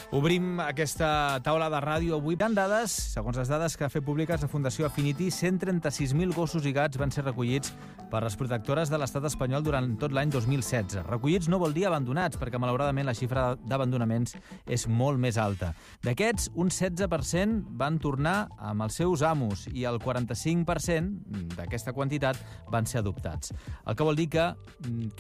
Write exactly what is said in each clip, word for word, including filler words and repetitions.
Obrim aquesta taula de ràdio avui. Hi ha dades, segons les dades que ha fet públiques la Fundació Affinity, cent trenta-sis mil gossos i gats van ser recollits per les protectores de l'estat espanyol durant tot l'any dos mil setze. Recollits no vol dir abandonats, perquè malauradament la xifra d'abandonaments és molt més alta. D'aquests, un setze per cent van tornar amb els seus amos i el quaranta-cinc per cent d'aquesta quantitat van ser adoptats. El que vol dir que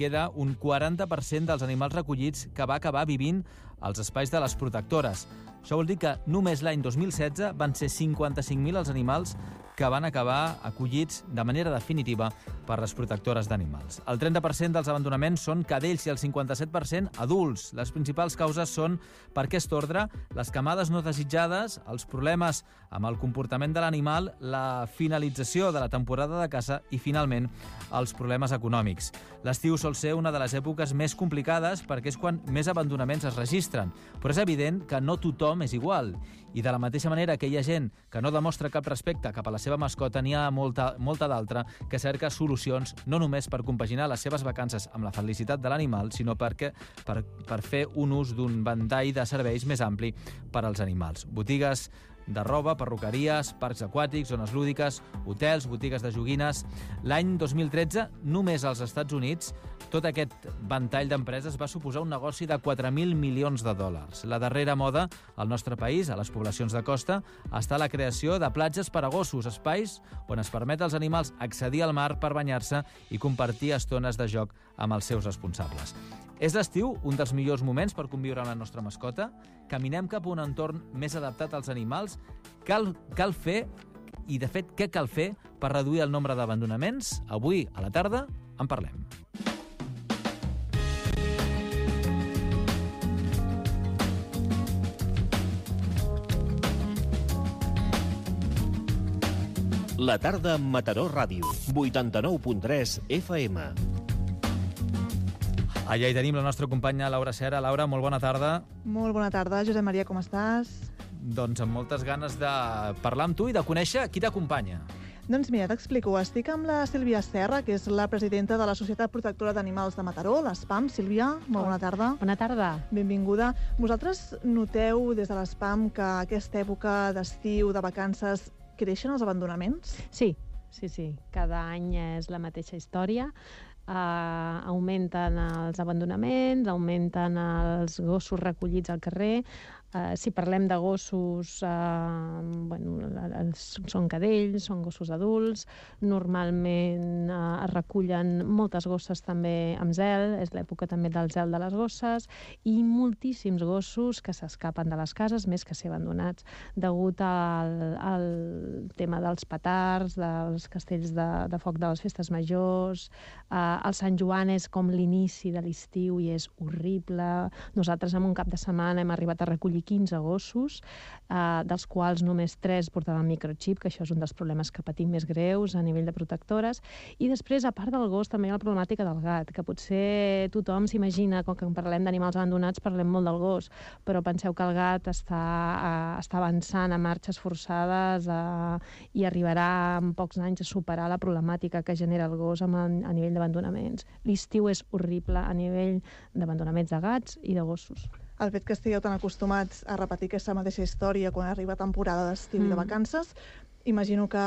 queda un quaranta per cent dels animals recollits que va acabar vivint als espais de les protectores. Això vol dir que només l'any dos mil setze van ser cinquanta-cinc mil els animals que van acabar acollits de manera definitiva per les protectores d'animals. El trenta per cent dels abandonaments són cadells i el cinquanta-set per cent adults. Les principals causes són, per aquest ordre, les camades no desitjades, els problemes amb el comportament de l'animal, la finalització de la temporada de caça i, finalment, els problemes econòmics. L'estiu sol ser una de les èpoques més complicades perquè és quan més abandonaments es registren, però és evident que no tothom és igual. I de la mateixa manera que hi ha gent que no demostra cap respecte cap a la seva mascota, n'hi ha molta, molta d'altra que cerca solucions no només per compaginar les seves vacances amb la felicitat de l'animal, sinó perquè, per, per fer un ús d'un ventall de serveis més ampli per als animals. Botigues de roba, perruqueries, parcs aquàtics, zones lúdiques, hotels, botigues de joguines. L'any dos mil tretze, només als Estats Units, tot aquest ventall d'empreses va suposar un negoci de quatre mil milions de dòlars. La darrera moda al nostre país, a les poblacions de costa, està la creació de platges per a gossos, espais on es permet als animals accedir al mar per banyar-se i compartir estones de joc amb els seus responsables. És l'estiu un dels millors moments per conviure amb la nostra mascota? Caminem cap a un entorn més adaptat als animals? Cal, cal fer, i de fet, què cal fer per reduir el nombre d'abandonaments? Avui, a la tarda, en parlem. La tarda amb Mataró Ràdio, vuitanta-nou punt tres F M. Allà hi tenim la nostra companya Laura Serra. Laura, molt bona tarda. Molt bona tarda. Josep Maria, com estàs? Doncs amb moltes ganes de parlar amb tu i de conèixer qui t'acompanya. Doncs mira, t'explico. Estic amb la Sílvia Serra, que és la presidenta de la Societat Protectora d'Animals de Mataró, l'ESPAM. Sílvia, molt bona tarda. Bona tarda. Benvinguda. Vosaltres noteu des de l'ESPAM que aquesta època d'estiu, de vacances, creixen els abandonaments? Sí, sí, sí. Cada any és la mateixa història. Uh, augmenten els abandonaments, augmenten els gossos recollits al carrer. Uh, si parlem de gossos, uh, bueno, els, són cadells, són gossos adults. Normalment uh, es recullen moltes gosses també amb zel, és l'època també del zel de les gosses, i moltíssims gossos que s'escapen de les cases, més que ser abandonats, degut al, al tema dels petards, dels castells de, de foc de les festes majors. Uh, el Sant Joan és com l'inici de l'estiu i és horrible. Nosaltres en un cap de setmana hem arribat a recollir quinze gossos, eh, dels quals només tres portaven microxip, que això és un dels problemes que patim més greus a nivell de protectores. I després, a part del gos, també hi ha la problemàtica del gat, que potser tothom s'imagina, com que parlem d'animals abandonats, parlem molt del gos, però penseu que el gat està, eh, està avançant a marxes forçades eh, i arribarà en pocs anys a superar la problemàtica que genera el gos amb, a nivell d'abandonaments. L'estiu és horrible a nivell d'abandonaments de gats i de gossos. El fet que estigueu tan acostumats a repetir aquesta mateixa història quan arriba temporada d'estiu mm. i de vacances, imagino que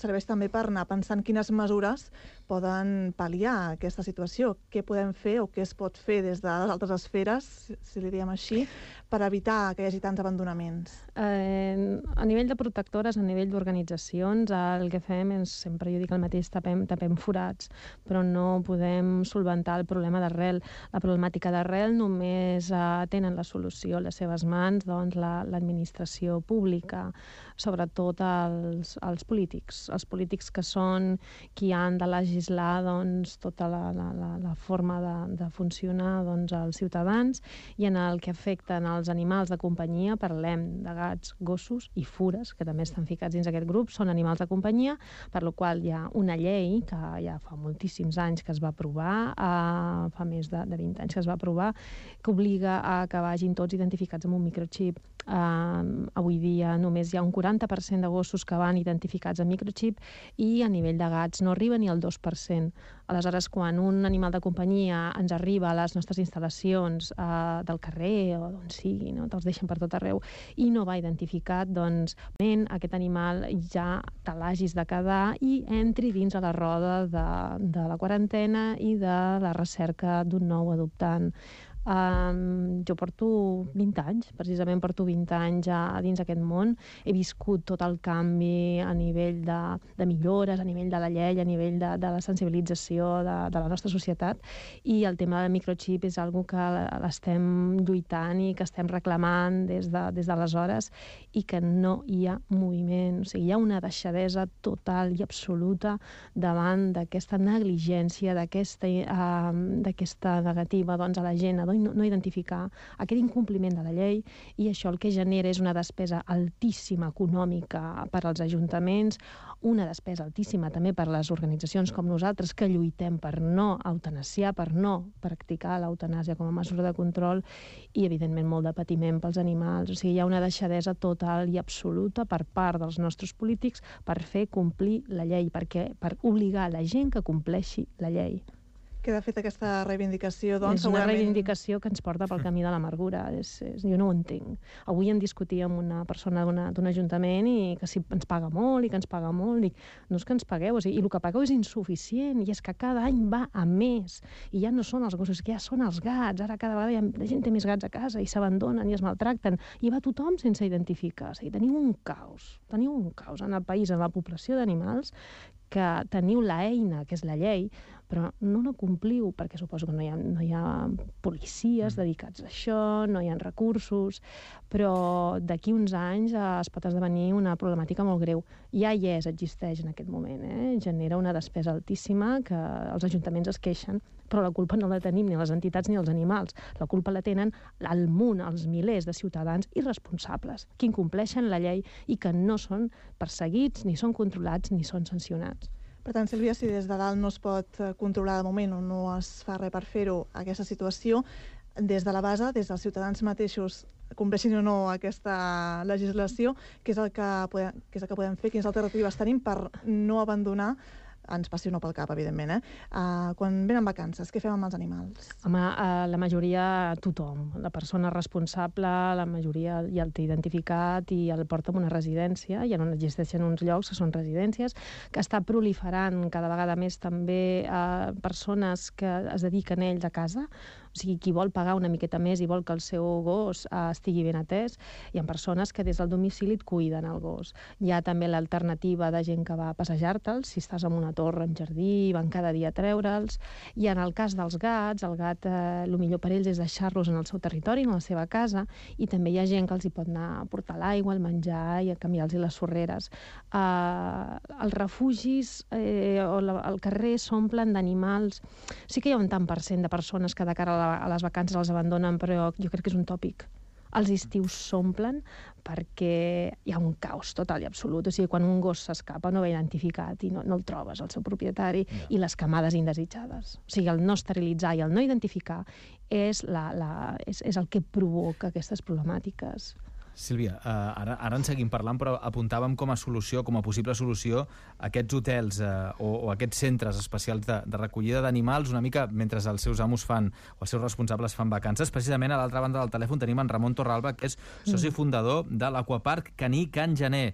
serveix també per anar pensant quines mesures poden pal·liar aquesta situació. Què podem fer o què es pot fer des de les altres esferes, si li diem així, per evitar que hi hagi tants abandonaments? Eh, a nivell de protectores, a nivell d'organitzacions, el que fem és, sempre jo dic el mateix, tapem, tapem forats, però no podem solventar el problema d'arrel. La problemàtica d'arrel només eh, tenen la solució a les seves mans, doncs, la, l'administració pública, sobretot els, els polítics. Els polítics que són qui han de legislar doncs, tota la, la, la, la forma de, de funcionar doncs, als ciutadans, i en el que afecten els animals de companyia parlem de gats, gossos i fures, que també estan ficats dins aquest grup, són animals de companyia, per la qual hi ha una llei que ja fa moltíssims anys que es va aprovar, eh, fa més de, de vint anys que es va aprovar, que obliga a que vagin tots identificats amb un microxip. Uh, avui dia només hi ha un quaranta per cent de gossos que van identificats amb microxip i a nivell de gats no arriba ni al dos per cent. Aleshores, quan un animal de companyia ens arriba a les nostres instal·lacions eh, del carrer o d'on sigui, no? Te'ls deixen per tot arreu, i no va identificat, doncs aquest animal ja te l'hagis de quedar i entri dins a la roda de, de la quarantena i de la recerca d'un nou adoptant. Um, jo porto vint anys, precisament porto vint anys a, a dins aquest món. He viscut tot el canvi a nivell de, de millores, a nivell de la llei, a nivell de, de la sensibilització de, de la nostra societat, i el tema del microxip és algo que l'estem lluitant i que estem reclamant des de, des d'aleshores, i que no hi ha moviment. O sigui, hi ha una deixadesa total i absoluta davant d'aquesta negligència, d'aquesta uh, d'aquesta negativa, doncs, a la gent a no, no identificar aquest incompliment de la llei, i això el que genera és una despesa altíssima econòmica per als ajuntaments, una despesa altíssima també per les organitzacions com nosaltres que lluitem per no eutanasiar, per no practicar l'eutanàsia com a mesura de control, i evidentment molt de patiment pels animals. O sigui, hi ha una deixadesa total i absoluta per part dels nostres polítics per fer complir la llei, perquè, per obligar la gent que compleixi la llei. Queda feta aquesta reivindicació, doncs, és una segurament... reivindicació que ens porta pel camí de l'amargura. És, és, jo no ho entenc. Avui en discutia amb una persona d'un ajuntament i que si ens paga molt i que ens paga molt. Dic, no és que ens pagueu, o sigui, i el que pagueu és insuficient, i és que cada any va a més. I ja no són els gossos, que ja són els gats. Ara cada vegada ha, la gent té més gats a casa i s'abandonen i es maltracten. I va tothom sense identificar. O sigui, teniu un caos. Teniu un caos en el país, en la població d'animals, que teniu l'eina, que és la llei, però no la compliu, perquè suposo que no hi ha, no hi ha policies dedicats a això, no hi ha recursos, però d'aquí uns anys eh, es pot esdevenir una problemàtica molt greu. Ja hi és, existeix en aquest moment, eh? Genera una despesa altíssima que els ajuntaments es queixen, però la culpa no la tenim ni les entitats ni els animals. La culpa la tenen el munt, els milers de ciutadans irresponsables, que incompleixen la llei i que no són perseguits, ni són controlats, ni són sancionats. Per tant, Sílvia, si des de dalt no es pot controlar de moment o no es fa res per fer-ho, aquesta situació, des de la base, des dels ciutadans mateixos, compleixin o no aquesta legislació, què és el que podem, què és el que podem fer, quines alternatives tenim per no abandonar, ens passi o no pel cap, evidentment, eh? Uh, quan venen vacances, què fem amb els animals? Home, uh, la majoria, tothom. La persona responsable, la majoria ja el té identificat i el porta a una residència, i on existeixen uns llocs que són residències, que està proliferant cada vegada més també uh, persones que es dediquen ells a casa, o sigui, qui vol pagar una miqueta més i vol que el seu gos uh, estigui ben atès. Hi ha persones que des del domicili et cuiden el gos. Hi ha també l'alternativa de gent que va a passejar-te'ls, si estàs en una torre, en jardí, van cada dia a treure'ls. I en el cas dels gats, el gat, eh, el millor per ells és deixar-los en el seu territori, en la seva casa, i també hi ha gent que els hi pot anar a portar l'aigua, el menjar i a canviar-los les sorreres. Uh, els refugis eh, o la, el carrer s'omplen d'animals. Sí que hi ha un tant per cent de persones que de cara a, la, a les vacances els abandonen, però jo crec que és un tòpic. Els estius s'omplen perquè hi ha un caos total i absolut. O sigui, quan un gos s'escapa no va identificat i no, no el trobes, el seu propietari, yeah. I les camades indesitjades. O sigui, el no esterilitzar i el no identificar és, la, la, és, és el que provoca aquestes problemàtiques. Sílvia, eh, ara, ara en seguim parlant, però apuntàvem com a solució, com a possible solució, aquests hotels eh, o, o aquests centres especials de, de recollida d'animals, una mica mentre els seus amos fan, o els seus responsables fan vacances. Precisament a l'altra banda del telèfon tenim en Ramon Torralba, que és soci fundador de l'Aquapark Caní Can Gener.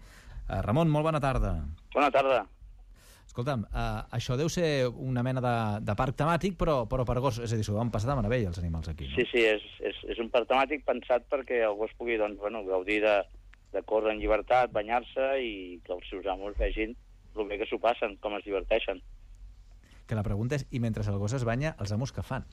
Eh, Ramon, molt bona tarda. Bona tarda. Escolta'm, eh, això deu ser una mena de, de parc temàtic, però, però per gos, és a dir, s'ho van passar de meravella els animals aquí, no? Sí, sí, és, és, és un parc temàtic pensat perquè el gos pugui doncs, bueno, gaudir de, de córrer en llibertat, banyar-se i que els seus amos vegin el bé que s'ho passen, com es diverteixen. Que la pregunta és, i mentre el gos es banya, els amos què fan?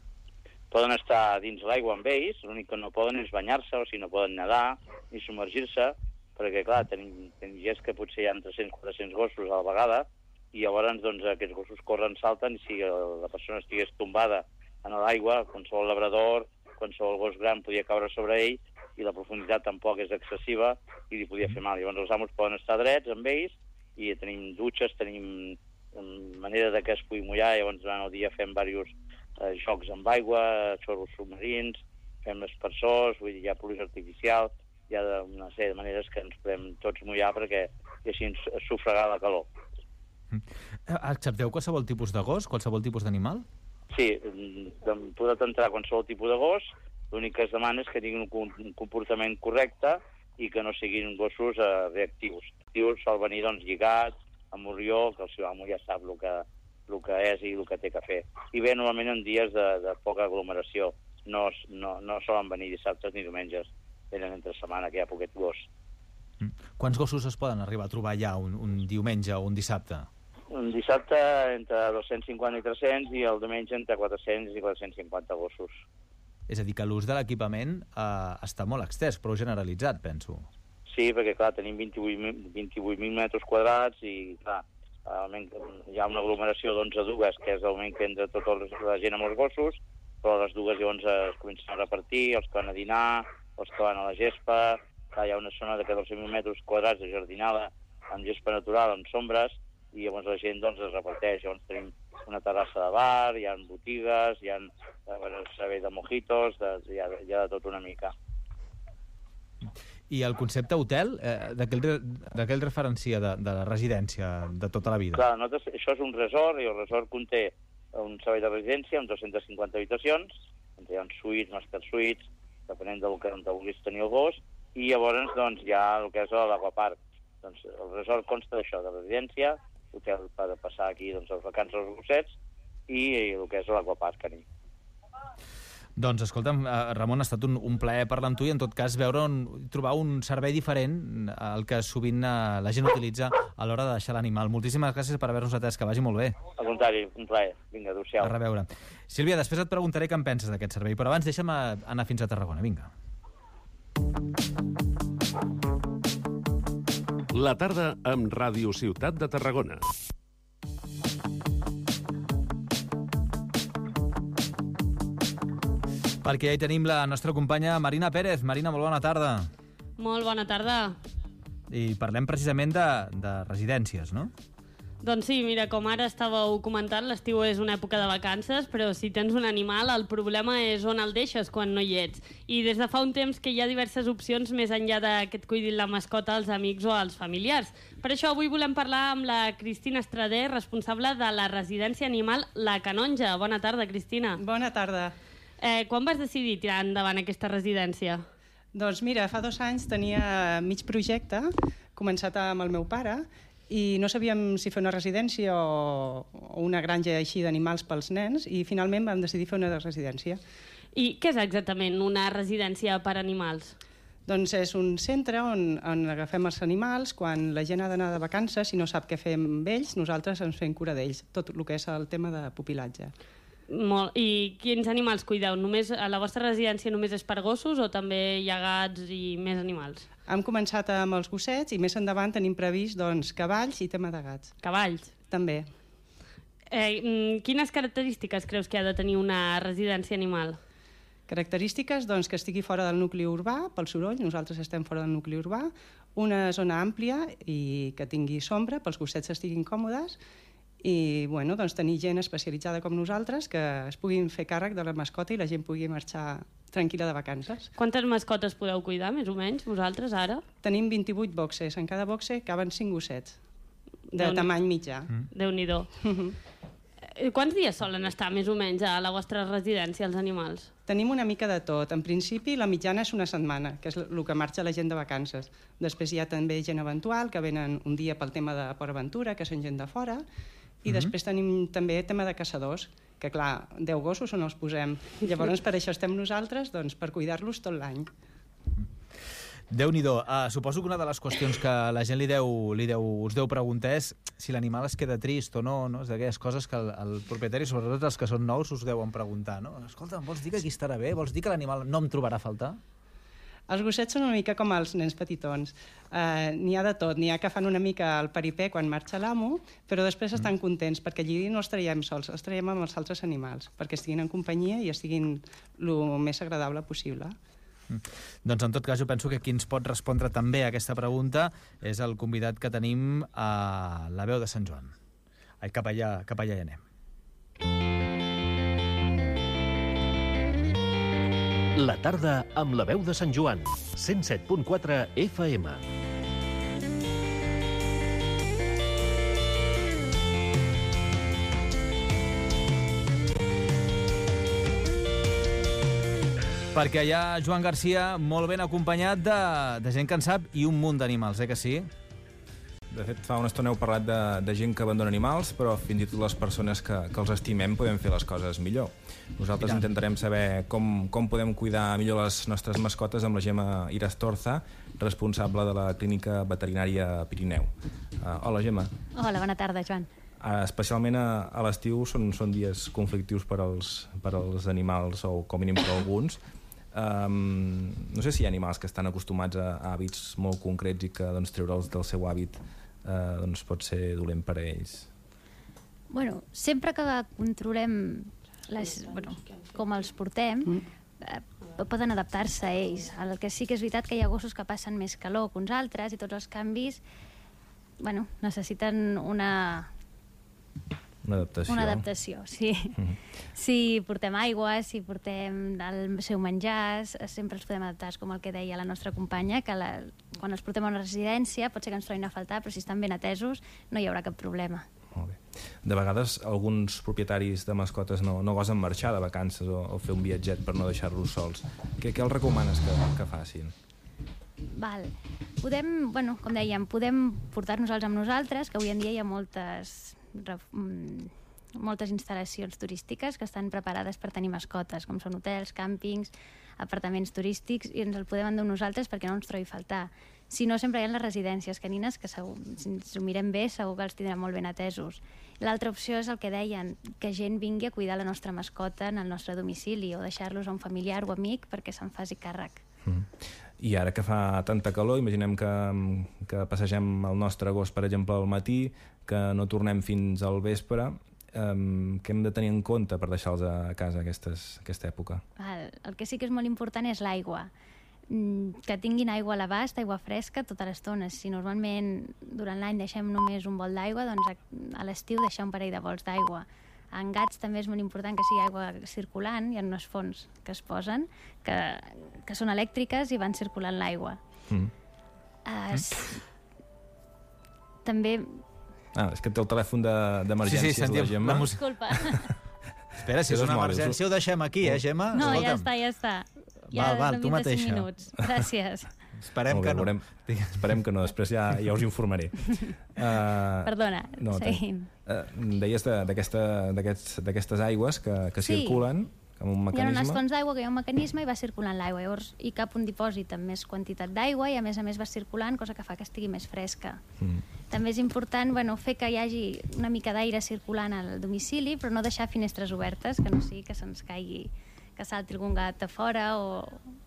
Poden estar dins l'aigua amb ells, l'únic que no poden és banyar-se, o si no poden nedar ni submergir-se, perquè, clar, tenim, tenim gens que potser hi ha tres-cents quatre-cents gossos a la vegada, i llavors doncs, aquests gossos corren, salten, i si la persona estigués tombada en l'aigua, qualsevol labrador, qualsevol gos gran podia caure sobre ell, i la profunditat tampoc és excessiva, i li podia fer mal. Llavors els amos poden estar drets amb ells, i tenim dutxes, tenim manera de que es pugui mullar, llavors durant el dia fem diversos eh, jocs amb aigua, xorros submarins, fem espersors, vull dir, hi ha pluja artificial, hi ha una sèrie de maneres que ens podem tots mullar perquè i així ens sufragar la calor. Accepteu qualsevol tipus de gos, qualsevol tipus d'animal? Sí, podeu entrar qualsevol tipus de gos, l'únic que es demana és que tinguin un comportament correcte i que no siguin gossos eh, reactius. Reactius sol venir doncs, lligats, amb morrió, que el seu amo ja sap el que, el que és i el que té que fer. I ve normalment en dies de, de poca aglomeració. No, no, no solen venir dissabtes ni diumenges. Venen entre setmana, que hi ha poquet gos. Mm. Quants gossos es poden arribar a trobar ja un, un diumenge o un dissabte? Un dissabte entre dos-cents cinquanta i tres-cents i el diumenge entre quatre-cents i quatre-cents cinquanta gossos. És a dir, que l'ús de l'equipament eh, està molt extès, prou generalitzat, penso. Sí, perquè, clar, tenim vint-i-vuit mil metres quadrats i, clar, hi ha una aglomeració d'onze dugues, que és l'augment que entra tota la gent amb els gossos, però les dugues llavors es comencen a repartir, els que van a dinar, els que van a la gespa. Clar, hi ha una zona de catorze mil metres quadrats de jardinada amb gespa natural, amb sombres, i llavors la gent doncs, es reparteix. Llavors tenim una terrassa de bar, hi ha botigues, hi ha servei de mojitos, de, hi, ha, hi ha de tot una mica. I el concepte hotel, eh, d'aquell referencia de, de la residència de tota la vida? Clar, nosaltres, això és un resort, i el resort conté un servei de residència amb dues-centes cinquanta habitacions, on hi ha suites, master suites, depenent del que vulguis tenir el gos, i llavors doncs, hi ha el que és l'aquapark. Doncs, el resort consta d'això, de residència, hotel per passar aquí doncs, les vacances als gossets, i el que és l'aquapark caní. Doncs, escolta'm, Ramon, ha estat un, un plaer parlar amb tu i, en tot cas, veure on, trobar un servei diferent al que sovint eh, la gent utilitza a l'hora de deixar l'animal. Moltíssimes gràcies per haver-nos atès, que vagi molt bé. Al contrari, un plaer. Vinga, adéu-siau. A reveure. Sílvia, després et preguntaré què en penses d'aquest servei, però abans deixa'm anar fins a Tarragona. Vinga. La tarda amb Ràdio Ciutat de Tarragona. Perquè ja hi tenim la nostra companya Marina Pérez. Marina, molt bona tarda. Molt bona tarda. I parlem precisament de, de residències, no? Doncs sí, mira, com ara estàveu comentant, l'estiu és una època de vacances, però si tens un animal, el problema és on el deixes quan no hi ets. I des de fa un temps que hi ha diverses opcions més enllà de que et cuidin la mascota als amics o als familiars. Per això avui volem parlar amb la Cristina Estrader, responsable de la residència animal La Canonja. Bona tarda, Cristina. Bona tarda. Eh, quan vas decidir tirar endavant aquesta residència? Doncs mira, fa dos anys tenia mig projecte, començat amb el meu pare, i no sabíem si fer una residència o, o una granja així d'animals pels nens, i finalment vam decidir fer una residència. I què és exactament una residència per animals? Doncs és un centre on, on agafem els animals, quan la gent ha d'anar de vacances i no sap què fer amb ells, nosaltres ens fem cura d'ells, tot el que és el tema de pupilatge. Molt. I quins animals cuideu? Només, a la vostra residència només és per gossos o també hi ha gats i més animals? Hem començat amb els gossets i més endavant tenim previst doncs, cavalls i tema de gats. Cavalls? També. Eh, quines característiques creus que ha de tenir una residència animal? Característiques, doncs, que estigui fora del nucli urbà, pel soroll, nosaltres estem fora del nucli urbà, una zona àmplia i que tingui sombra, pels gossets estiguin còmodes, i bueno, doncs, tenir gent especialitzada com nosaltres que es puguin fer càrrec de la mascota i la gent pugui marxar tranquil·la de vacances. Quantes mascotes podeu cuidar, més o menys, vosaltres, ara? Tenim vint-i-vuit boxes. En cada boxe caben cinc gossets, de tamany mitjà. Mm. Déu-n'hi-do. Quants dies solen estar, més o menys, a la vostra residència, els animals? Tenim una mica de tot. En principi, la mitjana és una setmana, que és el que marxa la gent de vacances. Després hi ha també gent eventual, que venen un dia pel tema de Port Aventura, que són gent de fora, i mm-hmm. després tenim també tema de caçadors, que clar, deu gossos on els posem. Llavors per això estem nosaltres, doncs, per cuidar-los tot l'any. Déu-n'hi-do. Uh, suposo que una de les qüestions que la gent li deu, li deu, us deu preguntar és si l'animal es queda trist o no, no? És d'aquelles coses que el, el propietari, sobretot els que són nous, us deuen preguntar, no? Escolta, vols dir que aquí estarà bé? Vols dir que l'animal no em trobarà a faltar? Els gossets són una mica com els nens petitons. Uh, n'hi ha de tot. N'hi ha que fan una mica el peripé quan marxa l'amo, però després estan mm. contents, perquè allí no els traiem sols, els traiem amb els altres animals, perquè estiguin en companyia i estiguin el més agradable possible. Mm. Doncs en tot cas jo penso que qui ens pot respondre també a aquesta pregunta és el convidat que tenim a la veu de Sant Joan. Ai, cap allà, cap allà hi anem. La tarda amb la veu de Sant Joan, cent set punt quatre F M. perquè hi ha Joan Garcia molt ben acompanyat de, de gent que en sap i un munt d'animals, eh que sí? De fet, fa una estona heu parlat de, de gent que abandona animals, però fins i tot les persones que, que els estimem podem fer les coses millor. Nosaltres intentarem saber com, com podem cuidar millor les nostres mascotes amb la Gemma Irastorza, responsable de la Clínica Veterinària Pirineu. Uh, hola, Gemma. Hola, bona tarda, Joan. Uh, especialment a, a l'estiu són, són dies conflictius per als, per als animals, o com a mínim per alguns. Um, no sé si hi ha animals que estan acostumats a, a hàbits molt concrets i que doncs, treure'ls del seu hàbit uh, doncs, pot ser dolent per a ells. Bueno, sempre que controlem les, bueno, com els portem, eh, poden adaptar-se a ells. El que sí que és veritat que hi ha gossos que passen més calor que uns altres i tots els canvis bueno, necessiten una... Una adaptació. Una adaptació, sí. Mm-hmm. Si portem aigua, si portem el seu menjar, sempre els podem adaptar, com el que deia la nostra companya, que la, quan els portem a una residència pot ser que ens trobin a faltar, però si estan ben atesos no hi haurà cap problema. Molt bé. De vegades alguns propietaris de mascotes no, no gosen marxar de vacances o, o fer un viatget per no deixar-los sols. Què, què els recomanes que, que facin? Val. Podem, bueno, com dèiem, podem portar-nos-els amb nosaltres, que avui en dia hi ha moltes... moltes instal·lacions turístiques que estan preparades per tenir mascotes, com són hotels, càmpings, apartaments turístics, i ens el podem endur nosaltres perquè no ens trobi faltar. Si no, sempre hi ha les residències canines, que segur, si ens ho mirem bé, segur que els tindrem molt ben atesos. L'altra opció és el que deien, que gent vingui a cuidar la nostra mascota en el nostre domicili o deixar-los a un familiar o amic perquè se'n faci càrrec. Mm. I ara que fa tanta calor, imaginem que, que passegem el nostre gos, per exemple, al matí, que no tornem fins al vespre, um, què hem de tenir en compte per deixar-los a casa aquestes, aquesta època? El, el que sí que és molt important és l'aigua. Que tinguin aigua a l'abast, aigua fresca, tota l'estona. Si normalment durant l'any deixem només un bol d'aigua, doncs a, a l'estiu deixar un parell de bols d'aigua. En gats també és molt important que sigui aigua circulant, hi ha unes fonts que es posen, que, que són elèctriques i van circulant l'aigua. Mm. Es... Mm. També... Ah, és que té el telèfon d'emergències, de, sí, sí, sentim, la Gemma. La Disculpa. Espera, si és una emergència ho deixem aquí, eh, Gemma? No, Escolta'm. ja està, ja està. Ja val, val, tu mateixa. Minuts. Gràcies. Esperem bé, que no. Veurem, esperem que no, després ja, ja us informaré. Uh, Perdona, no, seguim. Uh, deies d'aquestes d'aquestes aigües que, que sí. circulen amb un mecanisme. Hi ha unes fonts d'aigua que hi ha un mecanisme i va circulant l'aigua. Llavors hi cap un dipòsit amb més quantitat d'aigua i a més a més va circulant, cosa que fa que estigui més fresca. Mm. També és important bueno, fer que hi hagi una mica d'aire circulant al domicili, però no deixar finestres obertes, que no sigui que se'ns caigui, que salti algun gat a fora o,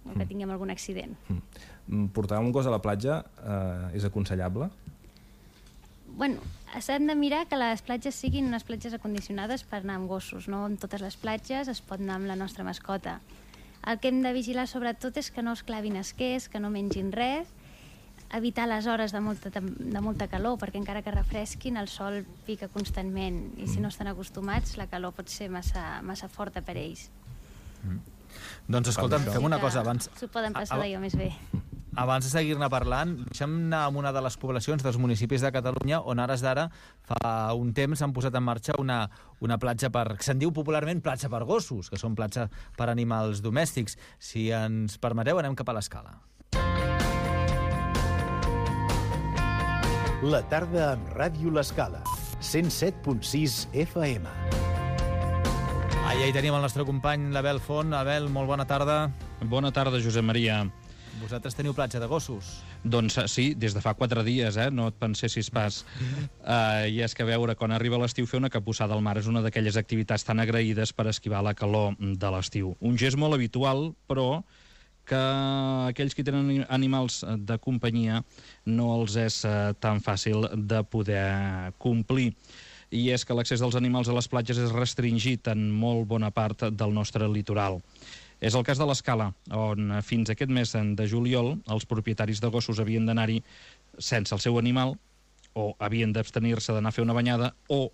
o que tinguem algun accident. Mm. Portar un gos a la platja eh, és aconsellable? Bueno, s'han de mirar que les platges siguin unes platges acondicionades per anar amb gossos, no? En totes les platges es pot anar amb la nostra mascota. El que hem de vigilar sobretot és que no es clavin esquers, que no mengin res, evitar les hores de molta, de molta calor, perquè encara que refresquin el sol pica constantment i si no estan acostumats la calor pot ser massa, massa forta per ells. Mm. Doncs escolta'm, fem una cosa abans. S'ho poden passar d'allò més bé. Abans de seguir-ne parlant, deixem anar a una de les poblacions dels municipis de Catalunya on ara d'ara fa un temps s'han posat en marxa una, una platja per... que se'n diu popularment platja per gossos, que són platja per animals domèstics. Si ens permeteu, anem cap a l'Escala. La tarda amb Ràdio l'Escala, cent set punt sis F M. Allà hi tenim el nostre company, l'Abel Font. Abel, molt bona tarda. Bona tarda, Josep Maria. Vosaltres teniu platja de gossos? Doncs sí, des de fa quatre dies, eh? No et pensessis pas. Uh, I és que a veure, quan arriba l'estiu, fer una capussada al mar és una d'aquelles activitats tan agraïdes per esquivar la calor de l'estiu. Un gest molt habitual, però que aquells que tenen animals de companyia no els és uh, tan fàcil de poder complir. I és que l'accés dels animals a les platges és restringit en molt bona part del nostre litoral. És el cas de l'Escala, on fins aquest mes de juliol els propietaris de gossos havien d'anar-hi sense el seu animal, o havien d'abstenir-se d'anar a fer una banyada, o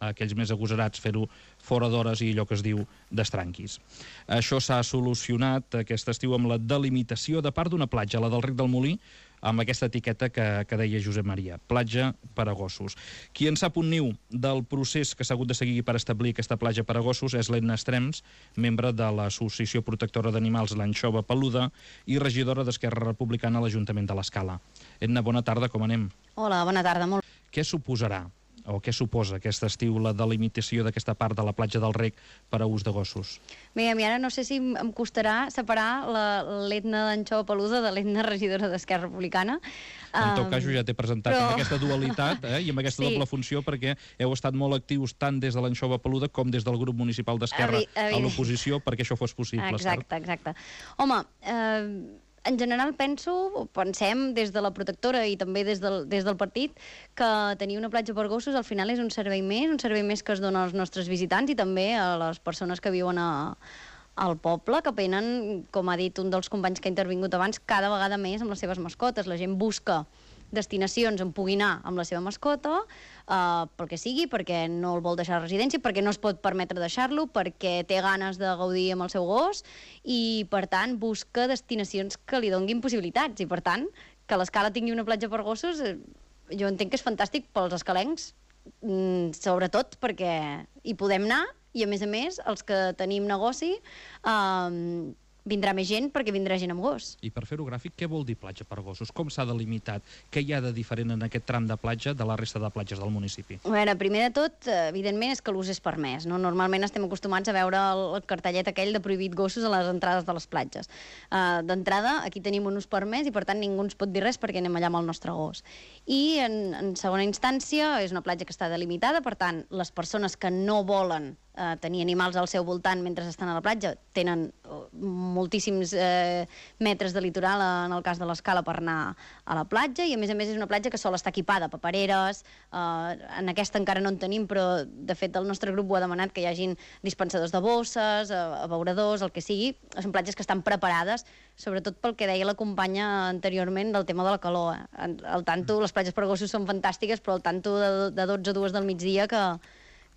aquells més agosarats fer-ho fora d'hores i allò que es diu d'estranquis. Això s'ha solucionat aquest estiu amb la delimitació de part d'una platja, la del Rec del Molí, amb aquesta etiqueta que, que deia Josep Maria, platja per a gossos. Qui en sap un niu del procés que s'ha hagut de seguir per establir aquesta platja per a gossos és l'Edna Estrems, membre de l'Associació Protectora d'Animals L'Anxova Peluda i regidora d'Esquerra Republicana a l'Ajuntament de l'Escala. Edna, bona tarda, com anem? Hola, bona tarda, molt. Què suposarà, o què suposa aquest estiu la delimitació d'aquesta part de la platja del Rec per a ús de gossos? Bé, a mi ara no sé si em costarà separar l'Edna d'Anxova Peluda de l'Edna regidora d'Esquerra Republicana. En tot cas, jo ja t'he presentat però... amb aquesta dualitat eh, i amb aquesta sí. doble funció, perquè heu estat molt actius tant des de l'Anxova Peluda com des del grup municipal d'Esquerra a l'oposició perquè això fos possible. Exacte, cert? exacte. Home, eh, en general penso, pensem des de la protectora i també des del, des del partit, que tenir una platja per gossos al final és un servei més, un servei més que es dona als nostres visitants i també a les persones que viuen a, al poble, que venen, com ha dit un dels companys que ha intervingut abans, cada vegada més amb les seves mascotes. La gent busca destinacions on pugui anar amb la seva mascota, eh, pel que sigui, perquè no el vol deixar a residència, perquè no es pot permetre deixar-lo, perquè té ganes de gaudir amb el seu gos i, per tant, busca destinacions que li donguin possibilitats. I, per tant, que l'Escala tingui una platja per gossos, eh, jo entenc que és fantàstic pels escalencs, mm, sobretot perquè hi podem anar i, a més a més, els que tenim negoci... Eh, vindrà més gent perquè vindrà gent amb gos. I per fer-ho gràfic, què vol dir platja per gossos? Com s'ha delimitat? Què hi ha de diferent en aquest tram de platja de la resta de platges del municipi? A veure, primer de tot, evidentment, és que l'ús és permès. No? Normalment estem acostumats a veure el cartellet aquell de prohibit gossos a les entrades de les platges. Uh, D'entrada, aquí tenim un ús permès i, per tant, ningú ens pot dir res perquè anem allà amb el nostre gos. I, en, en segona instància, és una platja que està delimitada, per tant, les persones que no volen eh, tenir animals al seu voltant mentre estan a la platja tenen moltíssims eh, metres de litoral en el cas de l'Escala per anar a la platja i a més a més és una platja que sol estar equipada, papereres, eh, en aquesta encara no en tenim però de fet el nostre grup ho ha demanat que hi hagin dispensadors de bosses, eh, abeuradors, el que sigui, són platges que estan preparades sobretot pel que deia la companya anteriorment del tema de la calor. Eh. Al tanto, les platges per gossos són fantàstiques però al tanto de, de dotze a dues del migdia que,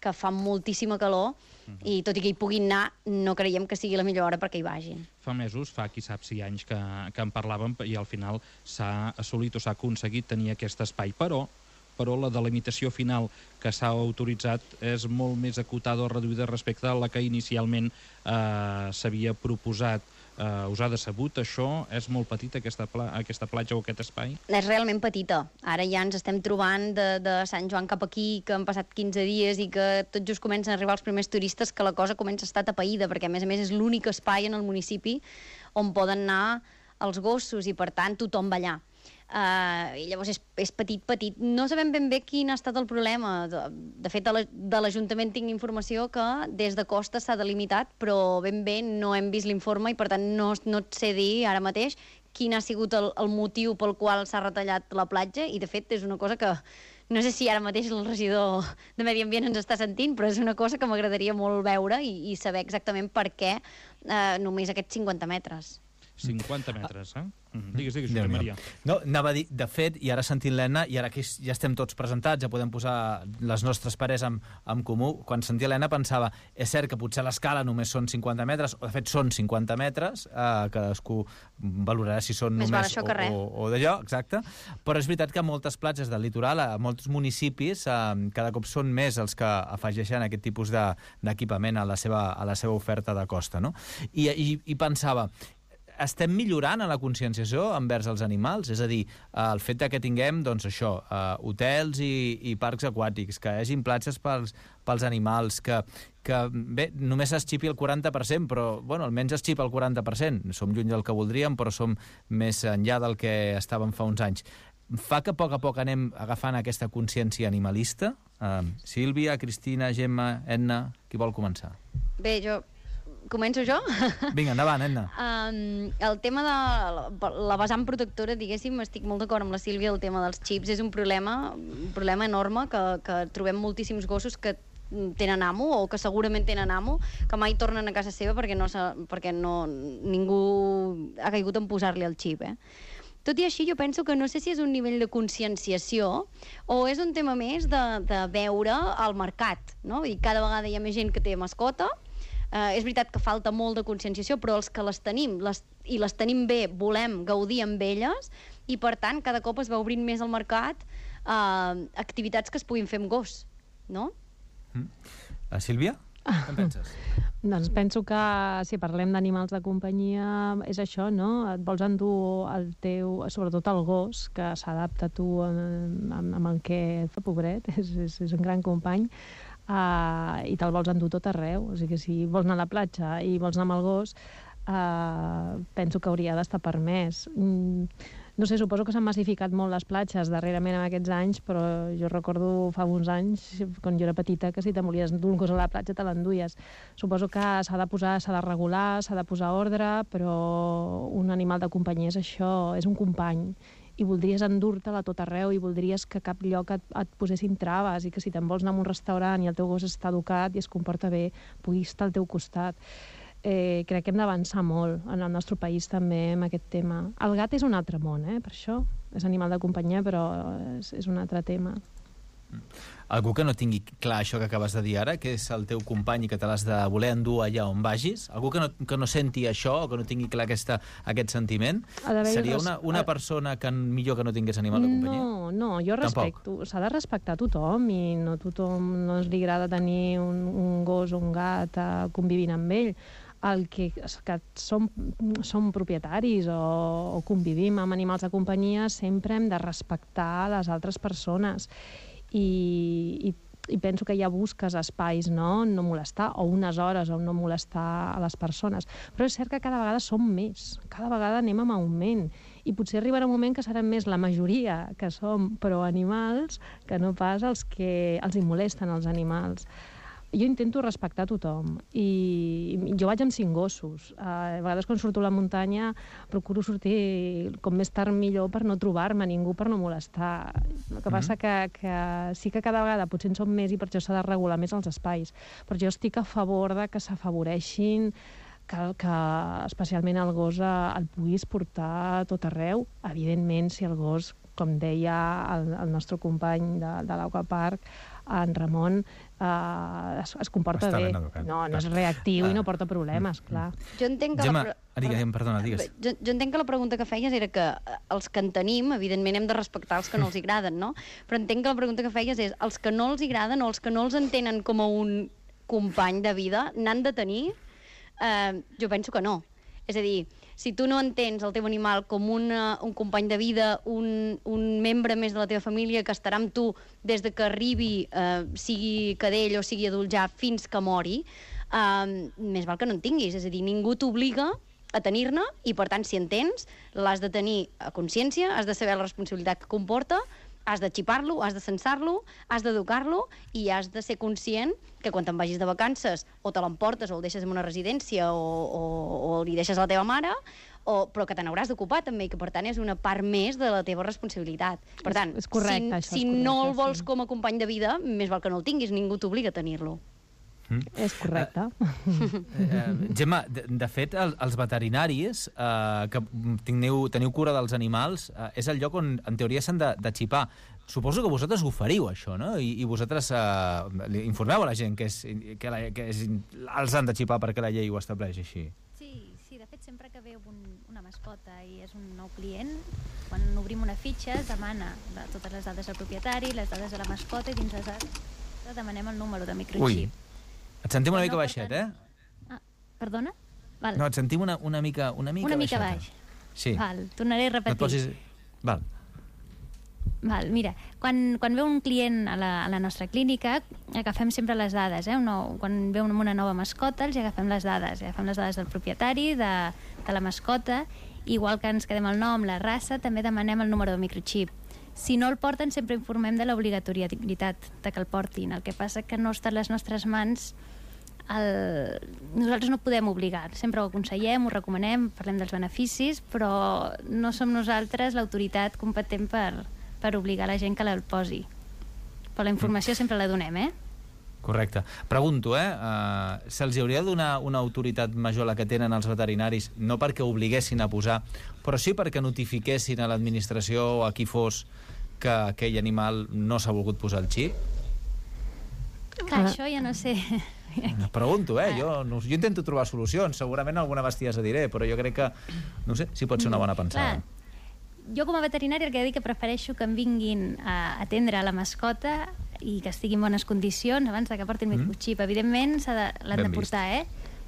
que fa moltíssima calor i tot i que hi puguin anar, no creiem que sigui la millor hora perquè hi vagin. Fa mesos, fa qui sap si anys que, que en parlàvem i al final s'ha assolit o s'ha aconseguit tenir aquest espai, però però la delimitació final que s'ha autoritzat és molt més acotada o reduïda respecte a la que inicialment eh, s'havia proposat. Uh, us ha decebut això? És molt petita aquesta, pla aquesta platja o aquest espai? És realment petita. Ara ja ens estem trobant de, de Sant Joan cap aquí, que han passat quinze dies i que tot just comencen a arribar els primers turistes, que la cosa comença a estar tapaïda, perquè a més a més és l'únic espai en el municipi on poden anar els gossos i per tant tothom va allà. Uh, i llavors és, és petit, petit. No sabem ben bé quin ha estat el problema. De, de fet, de l'Ajuntament tinc informació que des de Costa s'ha delimitat, però ben bé no hem vist l'informe i per tant no, no et sé dir ara mateix quin ha sigut el, el motiu pel qual s'ha retallat la platja i de fet és una cosa que no sé si ara mateix el regidor de Medi Ambient ens està sentint, però és una cosa que m'agradaria molt veure i, i saber exactament per què uh, només aquests cinquanta metres. cinquanta metres, eh? Mm-hmm. Digues, digues, Josep Maria. No, anava a dir, de fet, i ara sentint l'Helena, i ara que ja estem tots presentats, ja podem posar les nostres pares en, en comú, quan sentia l'Helena pensava, és cert que potser l'Escala només són cinquanta metres, o de fet són cinquanta metres, eh, cadascú valorarà si són més només o, o, o d'allò, exacte, però és veritat que a moltes platges del litoral, a molts municipis, eh, cada cop són més els que afegeixen aquest tipus d'equipament de, a, la seva, a la seva oferta de costa, no? I, i, i pensava, estem millorant en la conscienciació envers els animals? És a dir, el fet que tinguem, doncs això, uh, hotels i, i parcs aquàtics, que hi hagin platges pels, pels animals, que, que bé, només es xipi el quaranta per cent, però bueno, almenys es xipa el quaranta per cent. Som lluny del que voldríem, però som més enllà del que estàvem fa uns anys. Fa que a poc a poc anem agafant aquesta consciència animalista? Uh, Sílvia, Cristina, Gemma, Edna, qui vol començar? Bé, jo... Començo jo? Vinga, endavant, Edna. Um, el tema de la, la vessant protectora, diguéssim, estic molt d'acord amb la Sílvia, el tema dels xips és un problema, un problema enorme que, que trobem moltíssims gossos que tenen amo o que segurament tenen amo, que mai tornen a casa seva perquè, no, perquè no, ningú ha caigut en posar-li el xip, eh? Tot i així, jo penso que no sé si és un nivell de conscienciació o és un tema més de, de veure al mercat, no? I cada vegada hi ha més gent que té mascota. Uh, és veritat que falta molt de conscienciació, però els que les tenim les, i les tenim bé, volem gaudir amb elles, i per tant cada cop es va obrint més al mercat eh, activitats que es puguin fer amb gos, no? Mm. Uh, Sílvia? Què en penses? Doncs penso que si parlem d'animals de companyia és això, no? Et vols endur el teu, sobretot el gos, que s'adapta a tu amb, amb el que fa, pobret, és, és, és un gran company, uh, i te'l vols endur tot arreu. O sigui, si vols anar a la platja i vols anar amb el gos, uh, penso que hauria d'estar permès. Mm, no sé, suposo que s'han massificat molt les platges darrerament en aquests anys, però jo recordo fa uns anys, quan jo era petita, que si te volies endur un gos a la platja te l'enduies. Suposo que s'ha de posar, s'ha de regular, s'ha de posar ordre, però un animal de companyia és això, és un company, i voldries endur-te'l a tot arreu i voldries que a cap lloc et, et posessin traves i que si te'n vols anar a un restaurant i el teu gos està educat i es comporta bé, puguis estar al teu costat. Eh, crec que hem d'avançar molt en el nostre país també amb aquest tema. El gat és un altre món, eh? Per això és animal de companyia, però és, és un altre tema. Algú que no tingui clar això que acabes de dir ara, que és el teu company i que te l'has de voler endur allà on vagis, algú que no, que no senti això o que no tingui clar aquesta, aquest sentiment, seria una, una persona que millor que no tingués animal de companyia? No, no, jo respecto. S'ha de respectar tothom i no tothom no li agrada tenir un, un gos o un gat uh, convivint amb ell. El que, que som, som propietaris o, o convivim amb animals de companyia, sempre hem de respectar les altres persones. I, i, i penso que ja busques espais, no? No molestar, o unes hores on no molestar a les persones. Però és cert que cada vegada som més, cada vegada anem amb augment, i potser arribarà un moment que serem més la majoria que som pro-animals que no pas els que els hi molesten els animals. Jo intento respectar tothom i jo vaig amb cinc gossos. A vegades quan surto a la muntanya procuro sortir com més tard millor per no trobar-me ningú, per no molestar. El que passa que, que sí que cada vegada potser en som més i per això s'ha de regular més els espais. Però jo estic a favor de que s'afavoreixin, que, que especialment el gos el puguis portar a tot arreu. Evidentment, si el gos, com deia el, el nostre company de, de l'Aquapark, en Ramon, uh, es, es comporta bé. No, no és reactiu uh, i no porta problemes, clar. Jo entenc que Gemma, la... digues, perdona, digues. Jo, jo entenc que la pregunta que feies era que els que en tenim, evidentment hem de respectar els que no els agraden, no? Però entenc que la pregunta que feies és els que no els agraden o els que no els entenen com a un company de vida, n'han de tenir? Uh, jo penso que no. És a dir, si tu no entens el teu animal com una, un company de vida, un, un membre més de la teva família que estarà amb tu des de que arribi, eh, sigui cadell o sigui adult ja, fins que mori, eh, més val que no en tinguis. És a dir, ningú t'obliga a tenir-ne i, per tant, si en tens, l'has de tenir a consciència, has de saber la responsabilitat que comporta, has de xipar-lo, has de censar-lo, has d'educar-lo i has de ser conscient que quan te'n vagis de vacances o te l'emportes o el deixes en una residència o, o, o li deixes a la teva mare, o, però que te n'hauràs d'ocupar també i que per tant és una part més de la teva responsabilitat. Per tant, és, és correcte, si, això, si és correcte, no el vols sí. com a company de vida, més val que no el tinguis, ningú t'obliga a tenir-lo. Mm. És correcte. Uh, uh, Gemma, de, de fet, el, els veterinaris uh, que teniu, teniu cura dels animals uh, és el lloc on, en teoria, s'han de, de xipar. Suposo que vosaltres ho feriu, això, no? I, i vosaltres uh, informeu a la gent que, és, que, la, que és, els han de xipar perquè la llei ho estableix així. Sí, sí, de fet, sempre que veu un, una mascota i és un nou client, quan obrim una fitxa es demana la, totes les dades del propietari, les dades de la mascota i dins les dades demanem el número de microxip. Ui. Et sentim una mica no, baixet, eh? Ah, perdona? Val. No, et sentim una, una mica una mica Una mica baixeta. baix. Sí. Val, tornaré a repetir. No posis... Val. Val, mira, quan, quan ve un client a la, a la nostra clínica, agafem sempre les dades, eh? No, quan ve una nova mascota, els agafem les dades. Agafem les dades del propietari, de, de la mascota, igual que ens quedem el nom, la raça, també demanem el número de microxip. Si no el porten, sempre informem de l'obligatorietat de que el portin. El que passa que no està a les nostres mans. El... Nosaltres no podem obligar. Sempre ho aconsellem, ho recomanem, parlem dels beneficis, però no som nosaltres l'autoritat competent per, per obligar la gent que el posi. Però la informació sempre la donem, eh? Correcte. Pregunto, eh? Uh, Se'ls hauria de donar una autoritat major a la que tenen els veterinaris, no perquè obliguessin a posar, però sí perquè notifiquessin a l'administració o a qui fos que aquell animal no s'ha volgut posar el xip? Clar, això ja no sé. Pregunto, eh? Jo, no, jo intento trobar solucions. Segurament alguna bestiesa diré, però jo crec que, no sé, si pot ser una bona pensada. Clar. jo com a veterinària el que he de dir que prefereixo que em vinguin a atendre la mascota i que estigui en bones condicions abans de que portin mm. microxip. Evidentment l'han de portar, eh?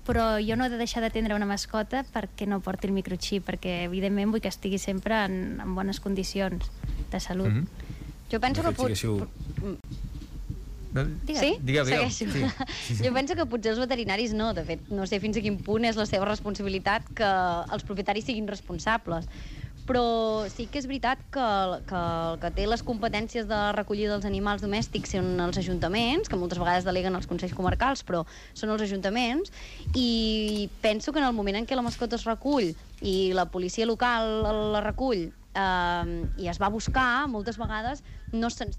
Però jo no he de deixar d'atendre una mascota perquè no porti el microxip, perquè evidentment vull que estigui sempre en, en bones condicions de salut. Mm -hmm. Jo penso que... Pot... Siguéssiu... Sí? Digueu, digueu. Sí. Sí, sí. Jo penso que potser els veterinaris no. De fet, no sé fins a quin punt és la seva responsabilitat que els propietaris siguin responsables. Però sí que és veritat que, que el que té les competències de recollida dels animals domèstics són els ajuntaments, que moltes vegades deleguen els consells comarcals, però són els ajuntaments, i penso que en el moment en què la mascota es recull i la policia local la recull eh, i es va a buscar, moltes vegades no se'n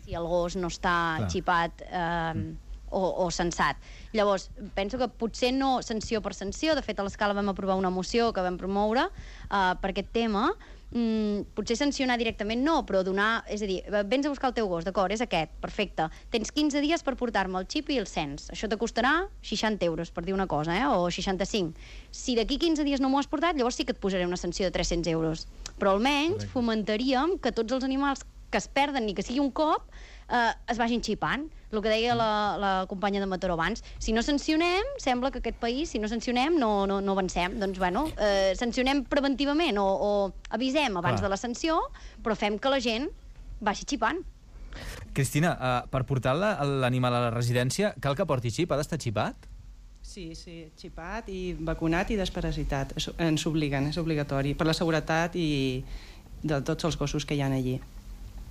si el gos no està Clar. xipat eh, mm. o, o censat. Llavors, penso que potser no sanció per sanció. De fet, a l'escala vam aprovar una moció que vam promoure eh, per aquest tema. Mm, potser sancionar directament no, però donar... És a dir, vens a buscar el teu gos, d'acord, és aquest, perfecte. Tens quinze dies per portar-me el xip i el cens. Això te costarà seixanta euros, per dir una cosa, eh? O seixanta-cinc. Si d'aquí quinze dies no m'ho has portat, llavors sí que et posaré una sanció de tres-cents euros. Però almenys fomentaríem que tots els animals que es perden ni que sigui un cop eh, es vagin xipant. El que deia la, la companya de Mataró abans, si no sancionem, sembla que aquest país, si no sancionem, no, no, no avancem. Doncs, bueno, eh, sancionem preventivament o, o avisem abans Clar. de la sanció, però fem que la gent vagi xipant. Cristina, uh, per portar l'animal a la residència, cal que porti xip? Ha d'estar xipat? Sí, sí, xipat i vacunat i desparasitat. Ens obliguen, és obligatori, per la seguretat i de tots els gossos que hi ha allí.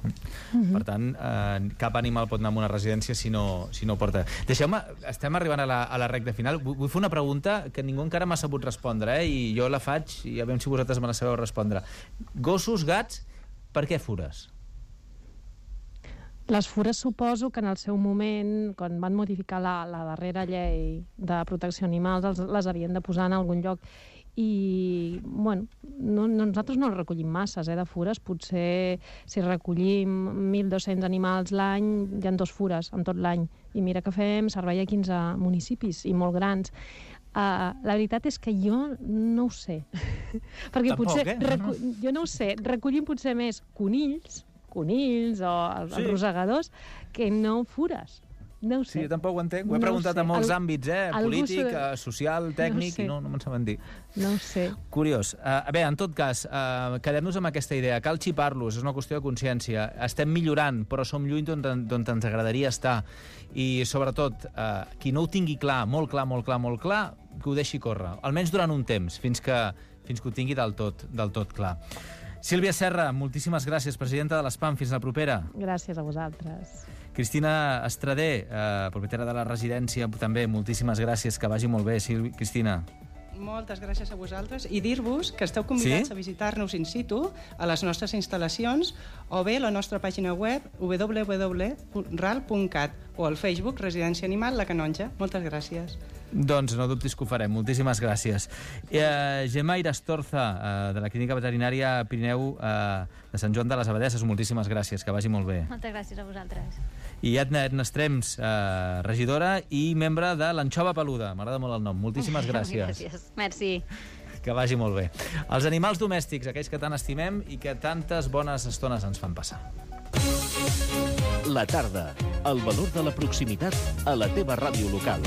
Mm-hmm. Per tant, eh, cap animal pot anar a una residència si no, si no porta. Deixeu-me, estem arribant a la, a la recta final. Vull, vull fer una pregunta que ningú encara m'ha sabut respondre, eh? I jo la faig i a veure si vosaltres me la sabeu respondre. Gossos, gats, per què fures? Les fures suposo que en el seu moment, quan van modificar la, la darrera llei de protecció animals, els, les havien de posar en algun lloc. I, bueno, no, no, nosaltres no recollim masses eh, de fures. Potser si recollim mil dos-cents animals l'any, hi ha dos fures en tot l'any. I mira que fem servei a quinze municipis i molt grans. Uh, la veritat és que jo no ho sé. Perquè Tampoc, potser, eh? recu- jo no ho sé, recollim potser més conills, conills o els, Sí. els rosegadors que no fures. No ho sé. Sí, jo tampoc ho entenc. Ho he No ho preguntat sé. a molts Al- àmbits, eh? algú Polític, s'ho- eh, social, tècnic, sé. i no, no me'n saben dir. No ho sé. Curiós. Uh, bé, en tot cas, uh, quedem-nos amb aquesta idea. Cal xipar-los, és una qüestió de consciència. Estem millorant, però som lluny d'on d'on ens agradaria estar. I, sobretot, uh, qui no ho tingui clar, molt clar, molt clar, molt clar, que ho deixi córrer. Almenys durant un temps, fins que, fins que ho tingui del tot, del tot clar. Sílvia Serra, moltíssimes gràcies, presidenta de l'ESPAM. Fins la propera. Gràcies a vosaltres. Cristina Estrader, eh, propietària de la residència, també moltíssimes gràcies, que vagi molt bé, Sílvia. Cristina. Moltes gràcies a vosaltres i dir-vos que esteu convidats Sí? a visitar-nos in situ a les nostres instal·lacions o bé a la nostra pàgina web w w w punt ral punt cat o al Facebook Residència Animal La Canonja. Moltes gràcies. Doncs no dubtis que ho farem. Moltíssimes gràcies. Eh, Gemma Irastorza, eh, de la Clínica Veterinària Pirineu eh, de Sant Joan de les Abadesses, moltíssimes gràcies, que vagi molt bé. Moltes gràcies a vosaltres. I Edna Ernestrems, eh, regidora i membre de l'Anxova Peluda. M'agrada molt el nom. Moltíssimes gràcies. Gràcies. Merci. Que vagi molt bé. Els animals domèstics, aquells que tant estimem i que tantes bones estones ens fan passar. La tarda. El valor de la proximitat a la teva ràdio local.